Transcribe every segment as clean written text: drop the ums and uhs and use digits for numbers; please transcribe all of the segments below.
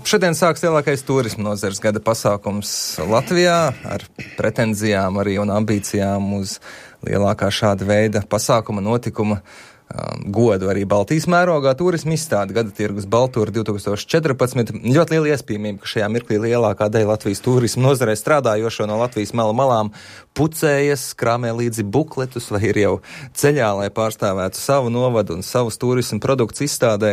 Šodien sāks lielākais turisma nozares gada pasākums Latvijā ar pretenzijām arī un ambīcijām uz lielākā šāda veida pasākuma notikuma godu arī Baltijas mērogā turisma izstāde Gada tirgus Baltūra 2014. Ļoti liela iespējamība, ka šajā mirklī lielākā daļa Latvijas turisma nozarē strādājošo no Latvijas malām pucējas, krāmē līdzi bukletus vai ir jau ceļā, lai pārstāvētu savu novadu un savus turisma produktus izstādē.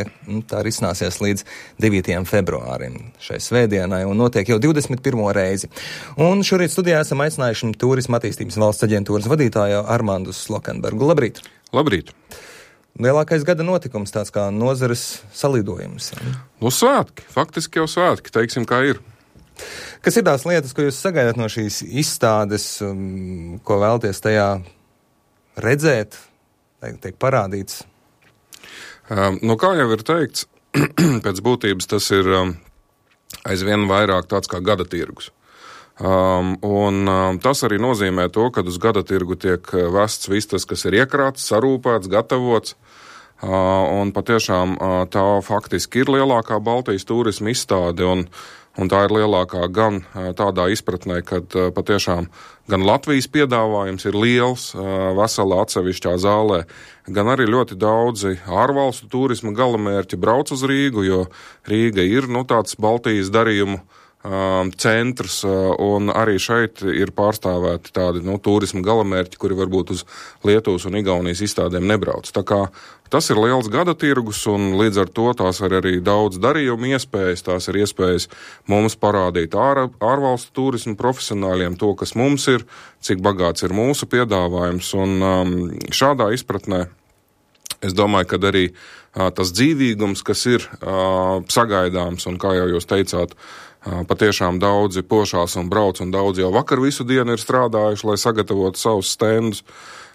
Tā risināsies līdz 9. februārim šai svētdienai un notiek jau 21. reizi. Un šorīt studijā esam aicinājuši turisma attīstības valsts aģentūras vadītāju Armandu Slokenbergu. Labrīt! Labrīt! Lielākais gada notikums, tāds kā nozares salidojums. Svētki, faktiski jau svētki, teiksim, kā ir. Kas ir tās lietas, ko jūs sagaidat no šīs izstādes, ko vēlaties tajā redzēt, tiek parādīts? Kā jau ir teikts, pēc būtības tas ir aizvien vairāk tāds kā gada tirgus. Tas arī nozīmē to, ka uz gada tirgu tiek vests viss tas, kas ir iekrāts, sarūpēts, gatavots, un patiešām tā faktiski ir lielākā Baltijas turisma izstāde, un tā ir lielākā gan tādā izpratnē, kad patiešām gan Latvijas piedāvājums ir liels, veselā atsevišķā zālē, gan arī ļoti daudzi ārvalstu turisma galamērķi brauc uz Rīgu, jo Rīga ir tāds Baltijas darījumu centrs, un arī šeit ir pārstāvēti tādi turisma galamērķi, kuri varbūt uz Lietuvas un Igaunijas izstādēm nebrauc. Tā kā tas ir liels gada tirgus, un līdz ar to tās ir arī daudz darījumu iespējas, tās ir iespējas mums parādīt ārvalstu turismu profesionāļiem to, kas mums ir, cik bagāts ir mūsu piedāvājums, un šādā izpratnē es domāju, ka arī tas dzīvīgums, kas ir sagaidāms, un kā jau jūs teicāt, patiešām daudzi pošās un brauc, un daudzi jau vakar visu dienu ir strādājuši, lai sagatavotu savus stendus.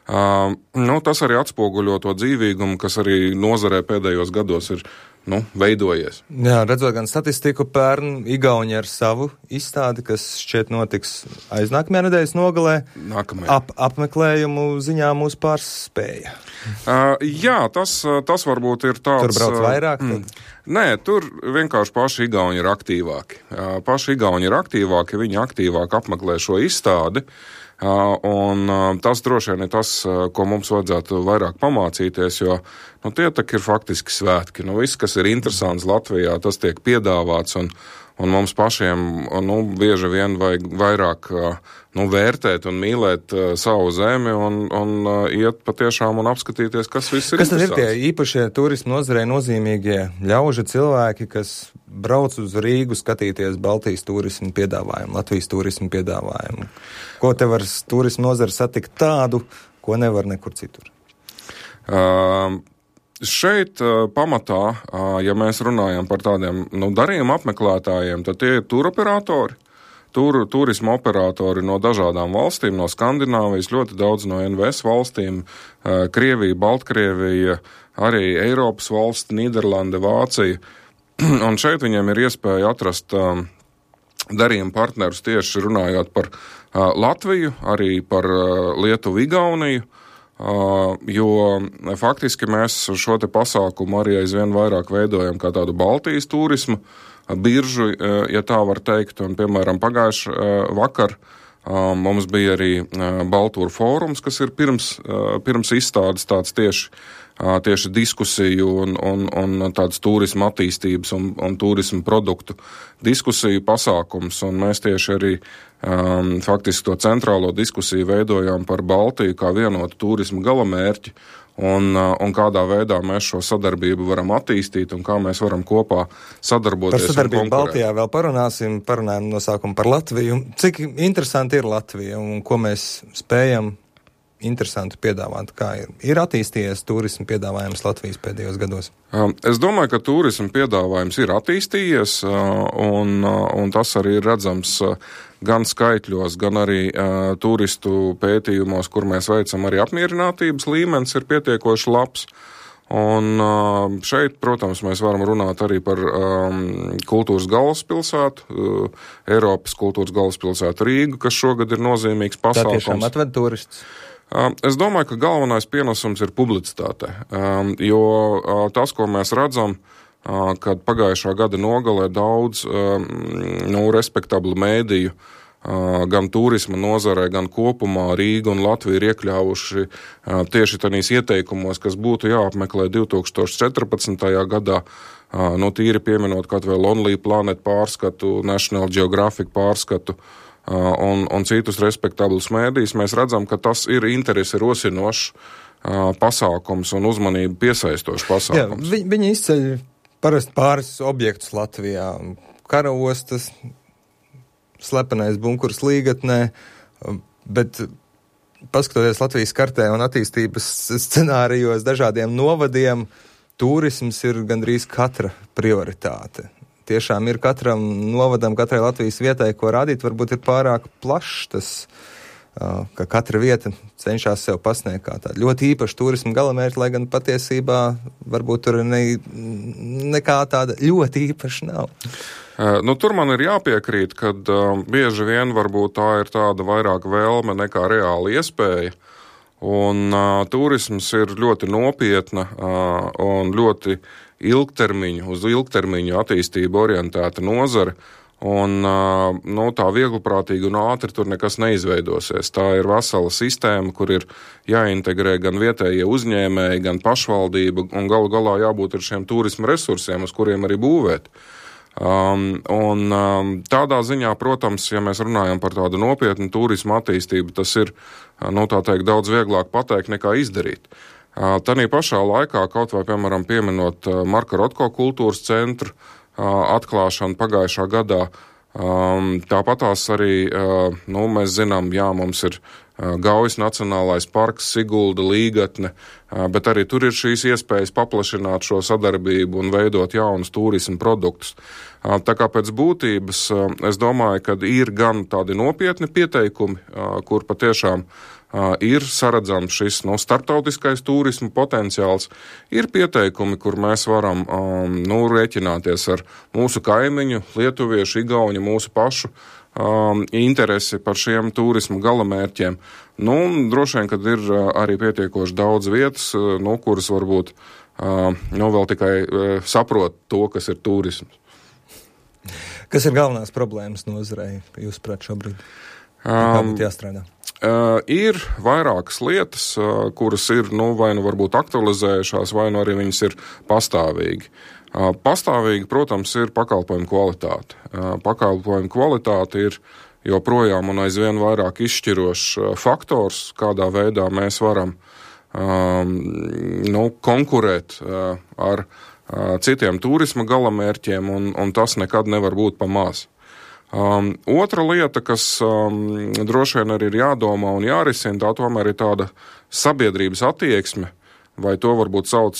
Tas arī atspoguļo to dzīvīgumu, kas arī nozarē pēdējos gados ir veidojies. Jā, redzot gan statistiku, pērn Igauni ar savu izstādi, kas šķiet notiks aiznākamajā nedēļas nogalē. Apmeklējumu ziņā mūs pārspēja. Jā, tas varbūt ir tāds... Tur brauc vairāk? Nē, tur vienkārši paši Igauni ir aktīvāki. Viņi aktīvāk apmeklē šo izstādi. Un tas droši vien ir tas, ko mums vajadzētu vairāk pamācīties, jo tie tak ir faktiski svētki. Viss, kas ir interesants Latvijā, tas tiek piedāvāts, un mums pašiem bieži vien vajag vairāk vērtēt un mīlēt savu zemi un iet patiešām un apskatīties, kas viss ir. Kas tad ir tie īpašie turismu nozarei nozīmīgie ļaužu cilvēki, kas brauc uz Rīgu skatīties Baltijas turismu piedāvājumu, Latvijas turismu piedāvājumu? Ko te var turismu nozara satikt tādu, ko nevar nekur citur? Šeit pamatā, ja mēs runājam par tādiem darījuma apmeklētājiem, tad tie ir turoperatori, turisma operatori no dažādām valstīm, no Skandināvijas, ļoti daudz no NVS valstīm, Krievija, Baltkrievija, arī Eiropas valsts, Nīderlande, Vācija. Un šeit viņiem ir iespēja atrast darījuma partnerus tieši runājot par Latviju, arī par Lietuvu, Igauniju, jo faktiski mēs šo te pasākumu arī aizvien vairāk veidojam kā tādu Baltijas turismu biržu, ja tā var teikt, un piemēram pagājuši vakar mums bija arī Baltūra fórums, kas ir pirms izstādes tāds tieši diskusiju un tāds turisma attīstības un turisma produktu diskusiju pasākums, un mēs tieši arī faktiski to centrālo diskusiju veidojām par Baltiju kā vienotu turisma galamērķi, un kādā veidā mēs šo sadarbību varam attīstīt un kā mēs varam kopā sadarboties. Par sadarbību Baltijā vēl parunājam no sākuma par Latviju. Cik interesanti ir Latvija un ko mēs spējam interesanti piedāvāt? Kā ir attīstījies turisma piedāvājums Latvijas pēdējos gados? Es domāju, ka turisma piedāvājums ir attīstījies, un tas arī ir redzams gan skaitļos, gan arī turistu pētījumos, kur mēs veicam arī apmierinātības līmenis ir pietiekoši labs. Un šeit, protams, mēs varam runāt arī par kultūras galvaspilsētu, Eiropas kultūras galvaspilsētu Rīgu, kas šogad ir nozīmīgs pasākums. Tā tiešām atved turistus? Es domāju, ka galvenais pienesums ir publicitāte, jo tas, ko mēs redzam, kad pagājušā gada nogalē daudz respektablu mēdīju gan turisma nozarē, gan kopumā Rīga un Latvija ir iekļāvuši tieši tādīs ieteikumos, kas būtu jāapmeklē 2014. gadā, tīri pieminot kaut vai Lonely Planet pārskatu, National Geographic pārskatu un citus respektablus mēdījus. Mēs redzam, ka tas ir interesi rosinošs pasākums un uzmanību piesaistošs pasākums. Jā, viņi izceļ parasti pāris objektus Latvijā. Karaostas, slepenais bunkurs Līgatnē, bet paskatoties Latvijas kartē un attīstības scenārijos dažādiem novadiem, turisms ir gandrīz katra prioritāte. Tiešām ir katram novadam, katrai Latvijas vietai, ko rādīt, varbūt ir pārāk plašs tas, ka katra vieta cenšas sev pasniegt kā tādu ļoti īpašu turismu galamērķi, lai gan patiesībā varbūt tur nekā tāda ļoti īpaša nav. Tur man ir jāpiekrīt, ka bieži vien varbūt tā ir tāda vairāk vēlme nekā reāla iespēja, un turisms ir ļoti nopietna un ļoti uz ilgtermiņu attīstību orientēta nozare, un tā viegliprātīgi un ātri tur nekas neizveidosies. Tā ir vesela sistēma, kur ir jāintegrē gan vietējie uzņēmēji, gan pašvaldība, un galu galā jābūt ar šiem turisma resursiem, uz kuriem arī būvēt. Tādā ziņā, protams, ja mēs runājam par tādu nopietnu turismu attīstību, tas ir, tā teikt, daudz vieglāk pateikt nekā izdarīt. Tanī pašā laikā, kaut vai, piemēram, pieminot Marka Rotko kultūras centru atklāšanu pagājušā gadā, tāpatās arī, mēs zinām, mums ir Gaujas Nacionālais parks, Sigulda, Līgatne, bet arī tur ir šīs iespējas paplašināt šo sadarbību un veidot jaunus turismu produktus. Tā kā pēc būtības es domāju, ka ir gan tādi nopietni pieteikumi, kur patiešām ir saredzams šis starptautiskais turismu potenciāls, ir pieteikumi, kur mēs varam rēķināties ar mūsu kaimiņu, lietuviešu, igauņu, mūsu pašu interesi par šiem turismu galamērķiem. Droši vien, kad ir arī pietiekoši daudz vietas, kuras varbūt vēl tikai saprot to, kas ir turisms. Kas ir galvenās problēmas nozarei, jūsuprāt, šobrīd? Kā būtu jāstrādā? Ir vairākas lietas, kuras ir, vai varbūt aktualizējušās, vai arī viņas ir pastāvīgi. Pastāvīgi, protams, ir pakalpojumu kvalitāte. Pakalpojumu kvalitāte ir joprojām un aizvien vairāk izšķirošs faktors, kādā veidā mēs varam konkurēt ar citiem turisma galamērķiem, un tas nekad nevar būt pa maz. Otra lieta, kas droši vien arī ir jādomā un jārisina, tā tomēr ir tāda sabiedrības attieksme, vai to varbūt sauc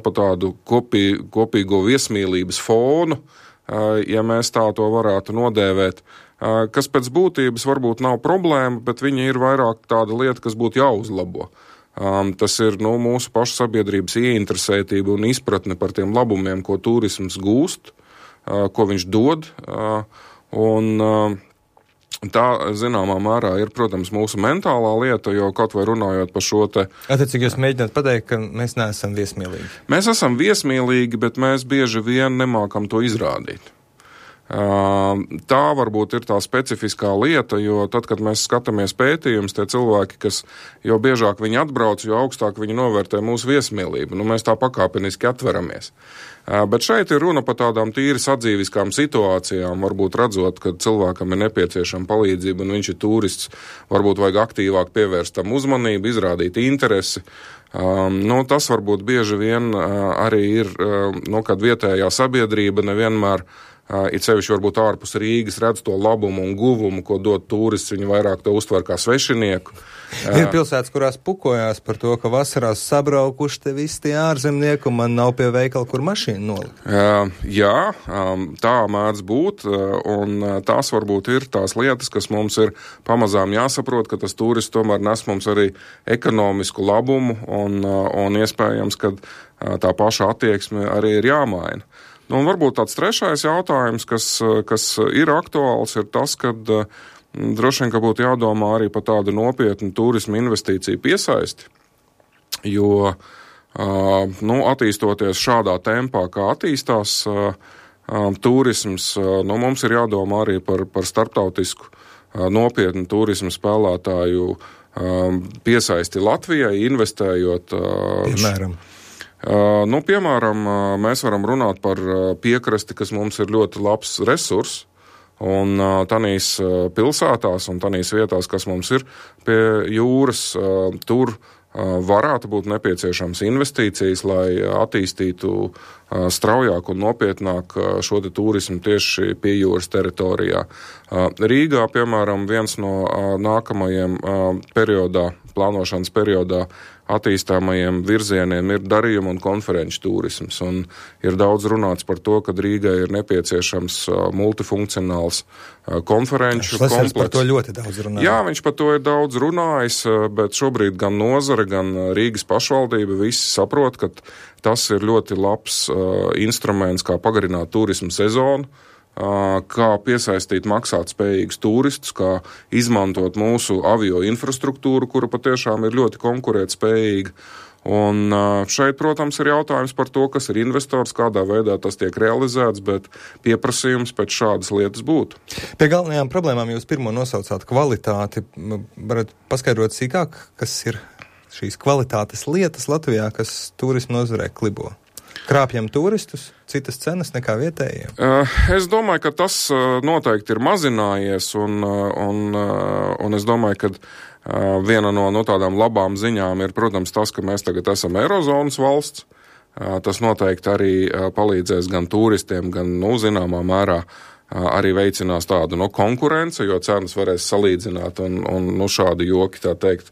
pa tādu kopīgo viesmīlības fonu, ja mēs tā to varētu nodēvēt, kas pēc būtības varbūt nav problēma, bet viņa ir vairāk tāda lieta, kas būtu jāuzlabo. Tas ir mūsu pašu sabiedrības ieinteresētība un izpratne par tiem labumiem, ko turisms gūst, ko viņš dod, un tā, zināmā mērā, ir, protams, mūsu mentālā lieta, jo kaut vai runājot par šo te... Attiecīgi jūs mēģināt pateikt, ka mēs neesam viesmīlīgi? Mēs esam viesmīlīgi, bet mēs bieži vien nemākam to izrādīt. Tā varbūt ir tā specifiskā lieta, jo tad, kad mēs skatāmies pētījumus, tie cilvēki, kas jo biežāk viņi atbrauc, jo augstāk viņi novērtē mūsu viesmīlību. Mēs tā pakāpeniski atveramies. Bet šeit ir runa par tādām tīri sadzīviskām situācijām, varbūt redzot, ka cilvēkam ir nepieciešama palīdzība un viņš ir turists, varbūt vajag aktīvāk pievērst tam uzmanību, izrādīt interesi. Tas varbūt bieži vien arī ir, kad vietējā sabiedrība nevienmēr it sevišķi varbūt ārpus Rīgas redz to labumu un guvumu, ko dod turists, viņi vairāk to uztver kā svešinieku. Ir pilsētas, kurās pukojās par to, ka vasarās sabraukuši te visi tie ārzemnieki, un man nav pie veikala, kur mašīnu nolikt. Jā, tā mēdz būt, un tās varbūt ir tās lietas, kas mums ir pamazām jāsaprot, ka tas turists tomēr nes mums arī ekonomisku labumu, un iespējams, ka tā paša attieksme arī ir jāmaina. Un varbūt tāds trešais jautājums, kas ir aktuāls, ir tas, ka droši vien, ka būtu jādomā arī par tādu nopietnu turismu investīciju piesaisti, jo Attīstoties šādā tempā, kā attīstās turisms, mums ir jādomā arī par starptautisku nopietnu turismu spēlētāju piesaisti Latvijai, investējot. Piemēram, mēs varam runāt par piekrasti, kas mums ir ļoti labs resurs, un tanīs pilsētās un tanīs vietās, kas mums ir pie jūras, tur varētu būt nepieciešams investīcijas, lai attīstītu straujāk un nopietnāk šo te turismu tieši pie jūras teritorijā. Rīgā, piemēram, viens no nākamajiem plānošanas periodā attīstāmajiem virzieniem ir darījuma un konferenču turisms. Un ir daudz runāts par to, ka Rīgai ir nepieciešams multifunkcionāls konferenču komplekss. Par to ļoti daudz runāja. Jā, viņš par to ir daudz runājis, bet šobrīd gan nozare, gan Rīgas pašvaldība visi saprot, ka tas ir ļoti labs instruments, kā pagarināt turismu sezonu, kā piesaistīt maksātspējīgus turistus, kā izmantot mūsu avio infrastruktūru, kura patiešām ir ļoti konkurētspējīga. Un šeit, protams, ir jautājums par to, kas ir investors, kādā veidā tas tiek realizēts, bet pieprasījums pēc šādas lietas būtu. Pie galvenajām problēmām jūs pirmo nosaucāt kvalitāti. Varat paskaidrot sīkāk, kas ir šīs kvalitātes lietas Latvijā, kas turismu nozarē klibo? Krāpjam turistus, citas cenas nekā vietējiem? Es domāju, ka tas noteikti ir mazinājies, un es domāju, ka viena no tādām labām ziņām ir, protams, tas, ka mēs tagad esam Eirozonas valsts. Tas noteikti arī palīdzēs gan turistiem, gan, zināmā mērā arī veicinās tādu konkurenci, jo cenas varēs salīdzināt, un šādi joki, tā teikt,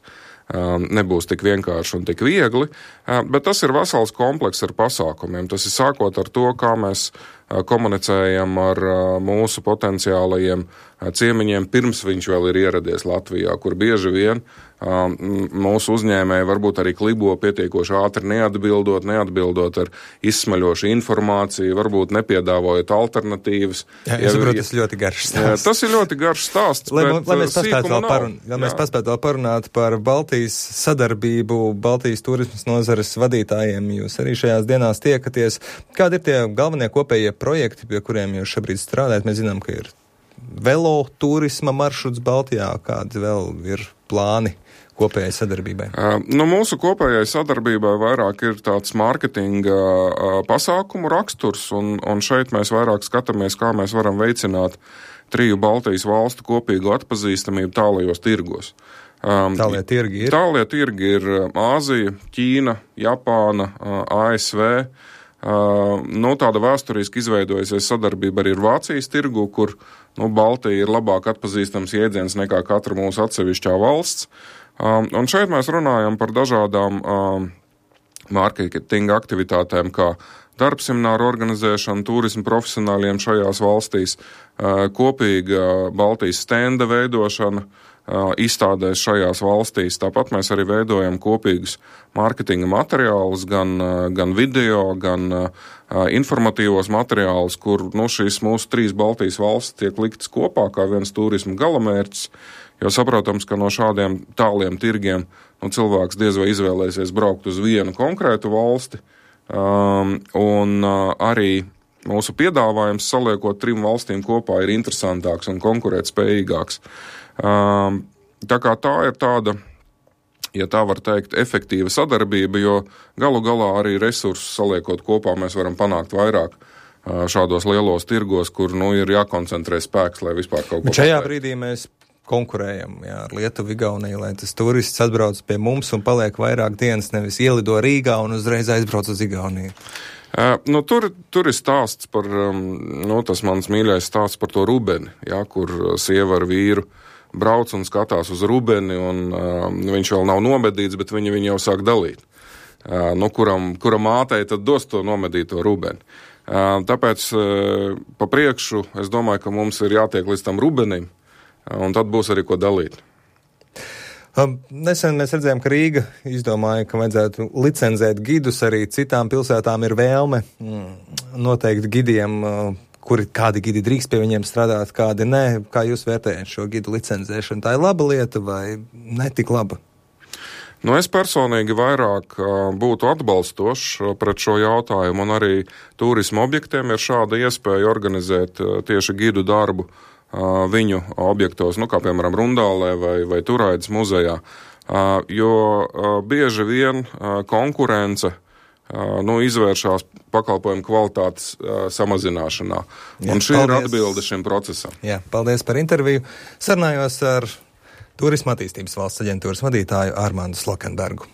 nebūs tik vienkārši un tik viegli, bet tas ir vesels komplekss ar pasākumiem. Tas ir sākot ar to, kā mēs komunicējam ar mūsu potenciālajiem ciemiņiem, pirms viņš vēl ir ieradies Latvijā, kur bieži vien mūsu uzņēmēji varbūt arī klibo pietiekoši ātri neatbildot ar izsmaļošu informāciju, varbūt nepiedāvojot alternatīvas. Jā, es saprotu, tas ir ļoti garš stāsts. Tas ir ļoti garš stāsts, lai mēs paspētu vēl parunāt par Baltijas sadarbību, Baltijas turismas nozares vadītājiem. Jūs arī šajās dienās tiekaties. Kādi ir tie galvenie kopējie projekti, pie kuriem jūs šobrīd strādājat? Mēs zinām, ka ir velo turisma maršruts Baltijā, kādi vēl ir plāni kopējai sadarbībai? Mūsu kopējai sadarbībai vairāk ir tāds mārketinga pasākumu raksturs, un šeit mēs vairāk skatāmies, kā mēs varam veicināt 3 Baltijas valstu kopīgu atpazīstamību tālajos tirgos. Tālie tirgi ir Āzija, Ķīna, Japāna, ASV. Tāda vēsturiski izveidojusies sadarbība arī ir Vācijas tirgu, kur Baltija ir labāk atpazīstams jēdziens nekā katra mūsu atsevišķā valsts. Un šeit mēs runājam par dažādām mārketinga aktivitātēm, kā darbsemināru organizēšanu turismu profesionāļiem šajās valstīs, kopīga Baltijas stenda veidošana izstādēs šajās valstīs. Tāpat mēs arī veidojam kopīgus mārketinga materiālus, gan video, gan informatīvos materiālus, kur šīs mūsu 3 Baltijas valstis tiek liktas kopā kā viens turismu galamērķis, jo saprotams, ka no šādiem tāliem tirgiem cilvēks diez vai izvēlēsies braukt uz vienu konkrētu valsti, un arī mūsu piedāvājums saliekot 3 valstīm kopā ir interesantāks un konkurētspējīgāks. Tā kā tā ir tāda, ja tā var teikt, efektīva sadarbība, jo galu galā arī resursus saliekot kopā mēs varam panākt vairāk šādos lielos tirgos, kur ir jākoncentrē spēks, lai vispār kaut ko. Bet šajā brīdī mēs konkurējam ar Lietuvu, Igauniju, lai tas turists atbrauc pie mums un paliek vairāk dienas, nevis ielido Rīgā un uzreiz aizbrauc uz Igauniju. Tur ir stāsts par, tas mans mīļais stāsts par to rubeni, kur sieva ar vīru brauc un skatās uz rubeni, un viņš vēl nav nomedīts, bet viņi jau sāk dalīt. Kura mātei tad dos to nomedīto rubeni. Tāpēc pa priekšu es domāju, ka mums ir jātiek līdz tam rubenim, un tad būs arī ko dalīt. Nesen mēs redzējām, ka Rīga izdomāja, ka vajadzētu licencēt gidus, arī citām pilsētām ir vēlme noteikti gidiem, kādi gidi drīkst pie viņiem strādāt, kādi nē. Kā jūs vērtējat šo gidu licencēšanu? Tā ir laba lieta vai ne tik laba? Nu, es personīgi vairāk būtu atbalstošs pret šo jautājumu, un arī turisma objektiem ir šāda iespēja organizēt tieši gidu darbu viņu objektos, kā piemēram Rundālē vai Turaidas muzejā, jo bieži vien konkurence izvēršās pakalpojumu kvalitātes samazināšanā. Un šī ir atbilde šim procesam. Jā, paldies par interviju. Sarunājos ar Turisma attīstības valsts aģentūras vadītāju Armandu Slokenbergu.